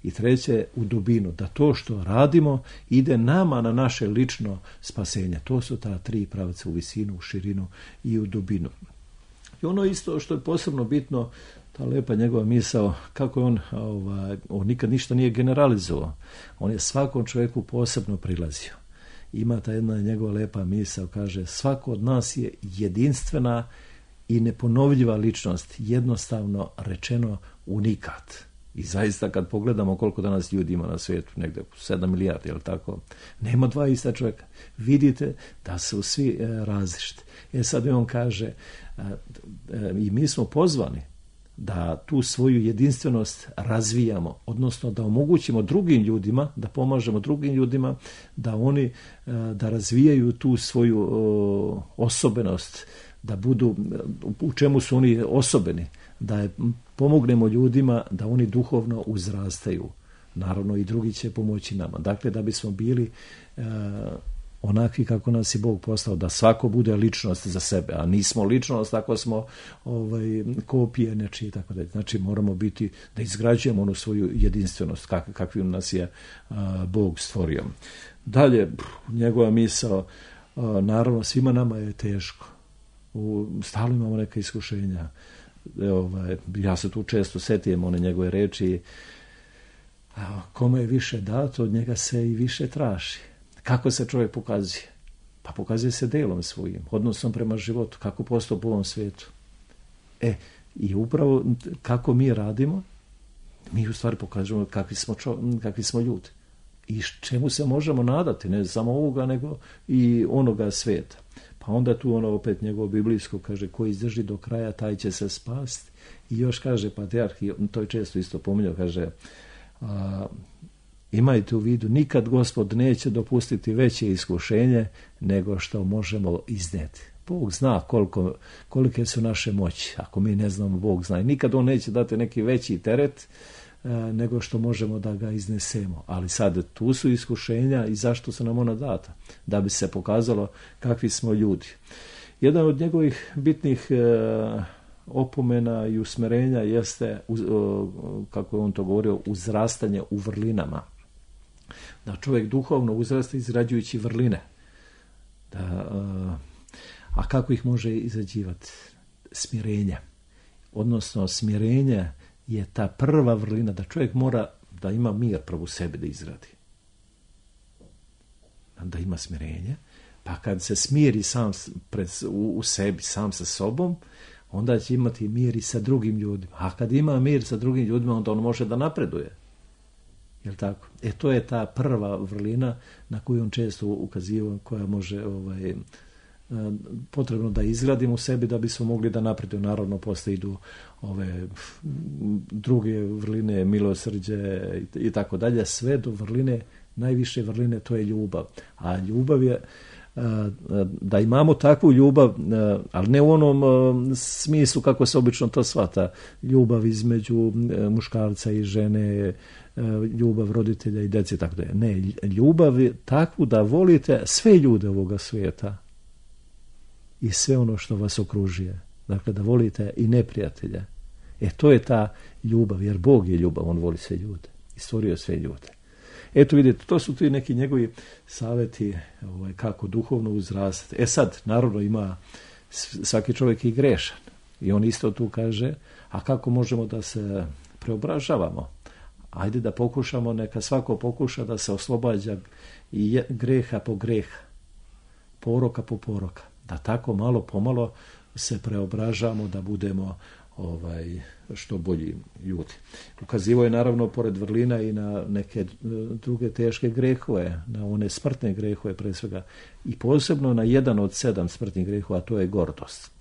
I treće, u dubinu, da to što radimo ide nama na naše lično spasenje. To su ta tri pravca, u visinu, u širinu i u dubinu. I ono isto što je posebno bitno, ta lepa njegova misao, kako je on, ovaj, on nikad ništa nije generalizovao. On je svakom čovjeku posebno prilazio. Ima ta jedna njegova lepa misao, kaže, svako od nas je jedinstvena i neponovljiva ličnost, jednostavno rečeno unikat. I zaista kad pogledamo koliko danas ljudi ima na svijetu, negdje sedam milijardi, je li tako? Nema dva ista čovjeka. Vidite da su svi e, različiti. E sad on kaže, e, e, i mi smo pozvani da tu svoju jedinstvenost razvijamo, odnosno da omogućimo drugim ljudima, da pomažemo drugim ljudima, da oni da razvijaju tu svoju osobenost, da budu, u čemu su oni osobeni, da pomognemo ljudima da oni duhovno uzrastaju. Naravno i drugi će pomoći nama. Dakle, da bismo bili onakvi kako nas je Bog postao, da svako bude ličnost za sebe, a nismo ličnost ako smo ovaj, kopije nečije i tako dalje. Znači moramo biti, da izgrađujemo onu svoju jedinstvenost kak, kakvim nas je a, Bog stvorio. Dalje, njegova misao, a, naravno svima nama je teško. U, stalno imamo neka iskušenja. Ovaj, ja se tu često setijem one njegove reči, a, kome je više dato, od njega se i više traži. Kako se čovjek pokazuje? Pa pokazuje se delom svojim, odnosom prema životu, kako postupa u ovom svijetu. E, i upravo kako mi radimo, mi u stvari pokažemo kakvi smo, čo, kakvi smo ljudi. I čemu se možemo nadati, ne samo ovoga, nego i onoga svijeta. Pa onda tu ono opet njegovo biblijsko kaže, ko izdrži do kraja, taj će se spasti. I još kaže patrijarh, to je često isto pominjao, kaže, a, imajte u vidu, nikad Gospod neće dopustiti veće iskušenje nego što možemo iznijeti. Bog zna koliko, kolike su naše moći. Ako mi ne znamo, Bog zna. I nikad on neće dati neki veći teret e, nego što možemo da ga iznesemo. Ali sad tu su iskušenja i zašto su nam ona data? Da bi se pokazalo kakvi smo ljudi. Jedan od njegovih bitnih e, opomena i usmerenja jeste, u, o, kako je on to govorio, uzrastanje u vrlinama. Da čovjek duhovno uzrasta izrađujući vrline. Da, a, a kako ih može izrađivati? Smirenje. Odnosno, smirenje je ta prva vrlina, da čovjek mora da ima mir prvo u sebi da izradi. Da ima smirenje. Pa kad se smiri sam pred, u, u sebi, sam sa sobom, onda će imati mir i sa drugim ljudima. A kad ima mir sa drugim ljudima, onda on može da napreduje. Jel tako? E to je ta prva vrlina na koju on često ukazivao, koja može ovaj, potrebno da izgradimo u sebi da bismo mogli da napredujemo. Naravno, posle idu ove druge vrline, milosrđe i, i tako dalje. Sve do vrline, najviše vrline, to je ljubav. A ljubav je da imamo takvu ljubav, ali ne u onom smislu kako se obično to shvata, ljubav između muškarca i žene, ljubav roditelja i djece, tako da je. Ne, ljubav je takvu da volite sve ljude ovoga svijeta i sve ono što vas okružuje. Dakle, da volite i neprijatelja. E, to je ta ljubav, jer Bog je ljubav, on voli sve ljude i stvorio sve ljude. Eto vidite, to su tu neki njegovi savjeti ovaj, kako duhovno uzrastati. E sad, naravno ima svaki čovjek i grešan. I on isto tu kaže, a kako možemo da se preobražavamo? Ajde da pokušamo, neka svako pokuša da se oslobađa i greha po greha, poroka po poroka. Da tako malo pomalo se preobražamo, da budemo ovaj, što bolji ljudi. Ukazivo je naravno pored vrlina i na neke druge teške grehove, na one smrtne grehove pre svega i posebno na jedan od sedam smrtnih grehova, a to je gordost.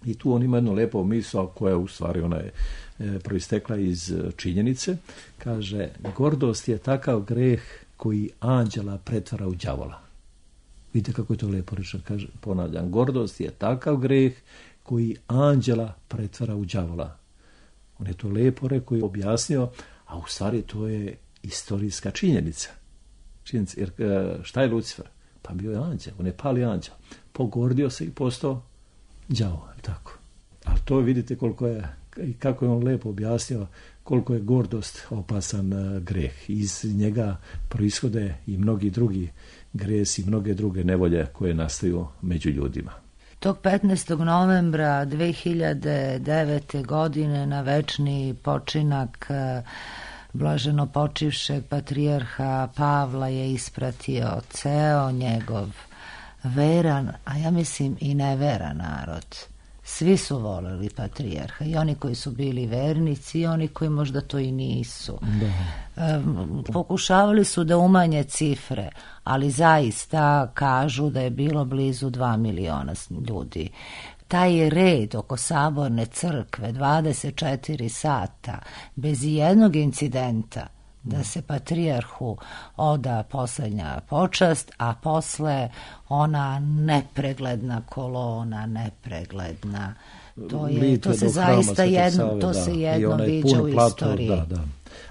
I tu on ima jednu lepo misao koja u stvari ona je e, proistekla iz činjenice. Kaže, gordost je takav greh koji anđela pretvara u đavola. Vidite kako je to lepo rečeno, kaže, ponavljam, gordost je takav greh koji anđela pretvara u đavola. On je to lepo rekao i objasnio, a u stvari to je istorijska činjenica. činjenica. Jer šta je Lucifer? Pa bio je anđel, on je pali anđel. Pogordio se i postao đavo, tako. Ali to vidite koliko je, i kako je on lepo objasnio, koliko je gordost opasan greh. Iz njega proishode i mnogi drugi gresi, mnoge druge nevolje koje nastaju među ljudima. Tog petnaestog novembra dve hiljade devete. godine na večni počinak blaženo počivšeg patrijarha Pavla je ispratio ceo njegov veran, a ja mislim i neveran narod. Svi su voleli patrijarha, i oni koji su bili vernici i oni koji možda to i nisu. Da. Pokušavali su da umanje cifre, ali zaista kažu da je bilo blizu dva miliona ljudi. Taj red oko saborne crkve, dvadeset četiri sata, bez jednog incidenta, da se patrijarhu oda posljednja počast, a posle ona nepregledna kolona, nepregledna. To je, to se zaista jedno, to se jedno viđa u istoriji. Da, da.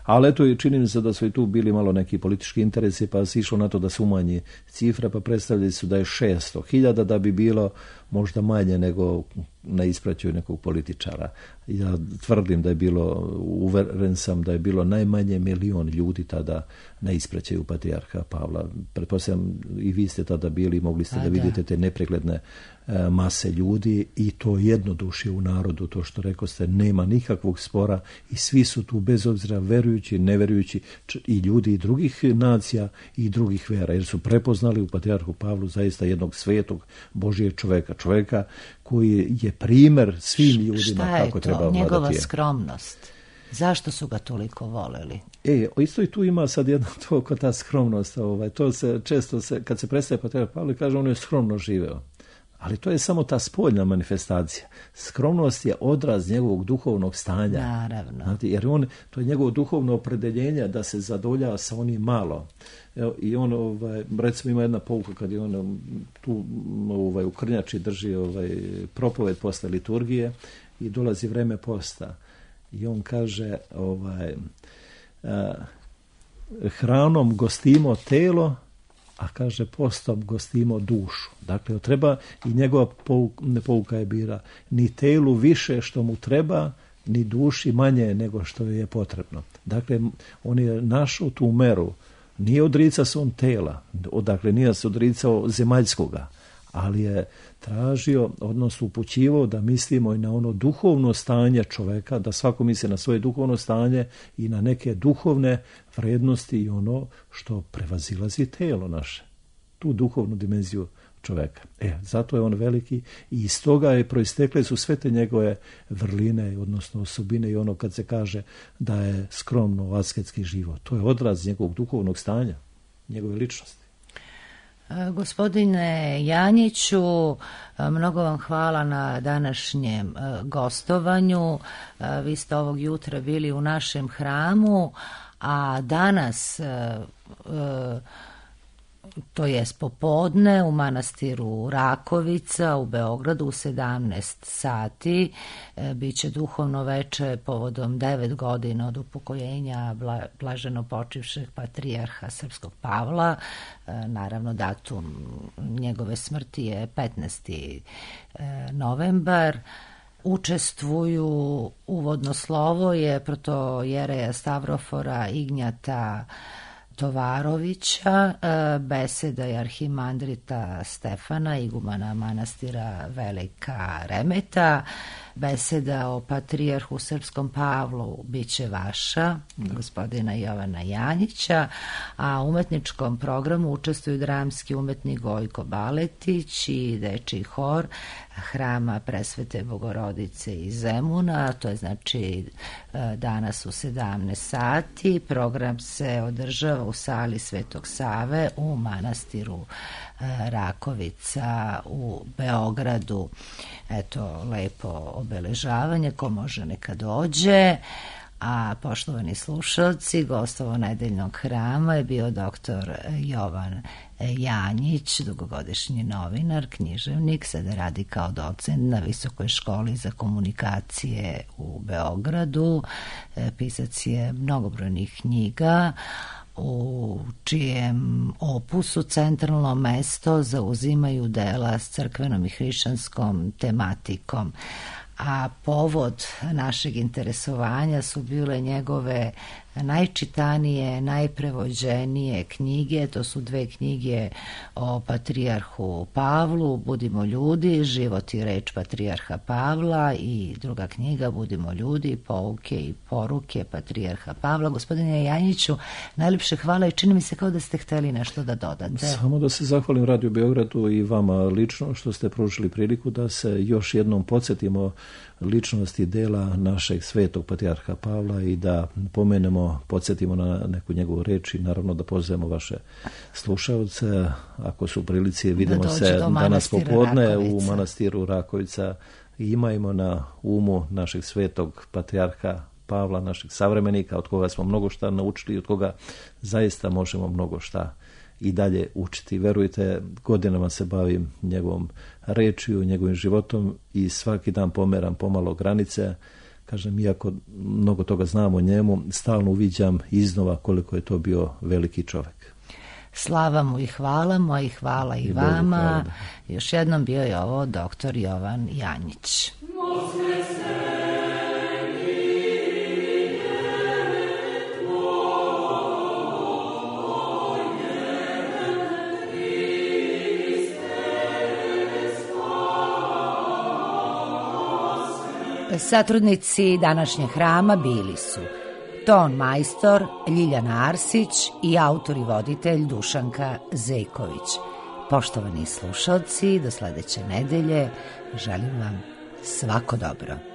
Ali eto, i čini mi se da su i tu bili malo neki politički interesi, pa se išlo na to da se umanji cifra, pa predstavljali su da je šesto hiljada, da bi bilo možda manje nego na ispraćaju nekog političara. Ja tvrdim da je bilo, uveren sam da je bilo najmanje milion ljudi tada na ispraćaju patrijarha Pavla. Pretpostavljam i vi ste tada bili, mogli ste da vidite te nepregledne e, mase ljudi i to jednodušje u narodu, to što rekao ste, nema nikakvog spora i svi su tu bez obzira verujući, neverujući i ljudi i drugih nacija i drugih vera, jer su prepoznali u patrijarhu Pavlu zaista jednog svetog Božijeg čoveka, čoveka koji je primjer svim ljudima kako treba vladati. Šta je to? Njegova skromnost. Zašto su ga toliko voleli? E, isto i tu ima sad jedno to kod ta skromnost. Ovaj, to se često, se, kad se predstaje patrijarh Pavle, kaže on je skromno živeo. Ali to je samo ta spoljna manifestacija. Skromnost je odraz njegovog duhovnog stanja. Naravno. Znate, jer on, to je njegovo duhovno opredeljenje da se zadovoljava sa onim malo. Evo, i on, ovaj, recimo, ima jedna pouka kad je on tu ovaj, u Krnjači drži ovaj, propoved posle liturgije i dolazi vreme posta. I on kaže, ovaj, a, hranom gostimo telo, a kaže postom gostimo dušu. Dakle, treba i njegova pouka, pouka je bila ni telu više što mu treba, ni duši manje nego što je potrebno. Dakle, on je našao tu meru. Nije odricao se on tela, dakle nije se odricao zemaljskoga, ali je tražio, odnosno upućivao da mislimo i na ono duhovno stanje čoveka, da svako misli na svoje duhovno stanje i na neke duhovne vrednosti i ono što prevazilazi telo naše, tu duhovnu dimenziju čoveka. E, zato je on veliki i iz toga je proistekle su sve te njegove vrline, odnosno osobine i ono kad se kaže da je skromno asketski život. To je odraz njegovog duhovnog stanja, njegove ličnosti. Gospodine Janjiću, mnogo vam hvala na današnjem gostovanju. Vi ste ovog jutra bili u našem hramu, a danas, to jest popodne, u manastiru Rakovica u Beogradu u sedamnaest sati biće duhovno veče povodom devet godina od upokojenja bla, blaženo počivšeg patrijarha srpskog Pavla. Naravno, datum njegove smrti je petnaesti novembar. Učestvuju, uvodno slovo je protojereja Stavrofora Ignjata Tovarovića, beseda je arhimandrita Stefana, igumana manastira Velika Remeta, beseda o patrijarhu srpskom Pavlu biće vaša, gospodina Jovana Janjića, a u umetničkom programu učestvuju dramski umetnik Gojko Baletić i dečiji hor Hrama Presvete Bogorodice iz Zemuna. To je znači danas u sedamnaest sati. Program se održava u sali Svetog Save u manastiru Rakovica u Beogradu. Eto, lepo obeležavanje, ko može neka dođe. A poštovani slušalci, gostovo nedeljnog hrama je bio doktor Jovan Janjić, dugogodišnji novinar, književnik, sada radi kao docent na Visokoj školi za komunikacije u Beogradu. Pisac je mnogobrojnih knjiga, u čijem opusu centralno mesto zauzimaju dela s crkvenom i hrišćanskom tematikom. A povod našeg interesovanja su bile njegove najčitanije, najprevođenije knjige. To su dve knjige o patrijarhu Pavlu, Budimo ljudi, život i reč patrijarha Pavla, i druga knjiga Budimo ljudi, pouke i poruke patrijarha Pavla. Gospodine Janjiću, najljepše hvala i čini mi se kao da ste hteli nešto da dodate. Samo da se zahvalim Radio Beogradu i vama lično što ste pružili priliku da se još jednom podsjetimo ličnosti dela našeg svetog patrijarha Pavla i da pomenemo, podsjetimo na neku njegovu reč i naravno da pozovemo vaše slušaoce. Ako su u prilici, vidimo se danas popodne Rakovica. U manastiru Rakovica i imajmo na umu našeg svetog patrijarha Pavla, našeg savremenika, od koga smo mnogo šta naučili i od koga zaista možemo mnogo šta i dalje učiti. Verujte, godinama se bavim njegovom rečju, njegovim životom i svaki dan pomeram pomalo granice kažem, iako mnogo toga znam o njemu, stalno uviđam iznova koliko je to bio veliki čovjek. Slava mu i hvala mu, i hvala i, I vama. Hvala. Još jednom bio je ovo doktor Jovan Janjić. Satrudnici današnjeg hrama bili su ton majstor Ljiljana Arsić i autor i voditelj Dušanka Zejković. Poštovani slušalci, do sledeće nedelje želim vam svako dobro.